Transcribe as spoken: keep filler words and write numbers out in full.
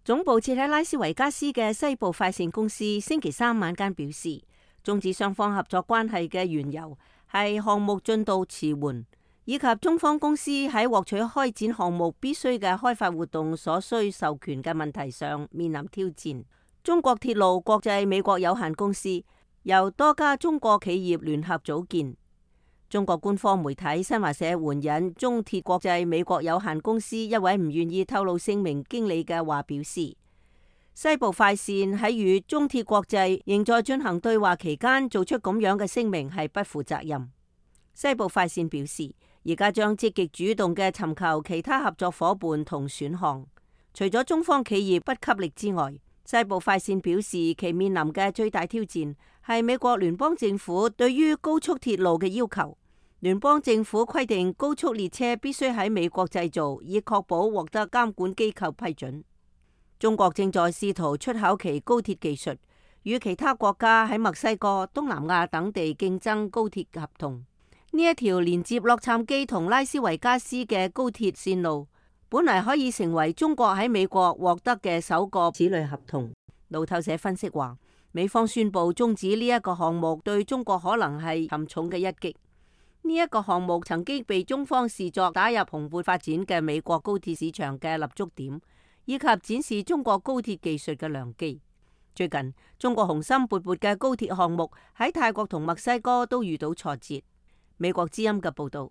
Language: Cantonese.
總部設喺拉斯維加斯嘅西部快線公司星期三晚間表示，終止雙方合作關係嘅緣由係項目進度遲緩，以及中方公司喺獲取開展項目必須嘅開發活動所需授權嘅問題上面臨挑戰。中國鐵路國際美國有限公司由多家中國企業聯合組建。中國官方媒體新華社援引中鐵國際美國有限公司一位唔願意透露姓名經理嘅話表示，西部快線喺與中鐵國際仍在進行對話期間做出咁樣嘅聲明係不負責任。西部快線表示，而家將積極主動嘅尋求其他合作夥伴同選項。除咗中方企業不給力之外，西部快線表示其面臨嘅最大挑戰係美國聯邦政府對於高速鐵路嘅要求。聯邦政府規定高速列車必須喺美國製造，以確保獲得監管機構批准。中國正在試圖出口其高鐵技術，與其他國家喺墨西哥、東南亞等地競爭高鐵合同。呢一條連接洛杉磯同拉斯維加斯嘅高鐵線路，本嚟可以成為中國喺美國獲得嘅首個此類合同。路透社分析話，美方宣布終止呢一個項目，對中國可能係沉重嘅一擊。呢一個項目曾經被中方視作打入蓬勃發展嘅美國高鐵市場嘅立足點，以及展示中國高鐵技術嘅良機。最近，中國雄心勃勃嘅高鐵項目喺泰國同墨西哥都遇到挫折。美國之音嘅報道。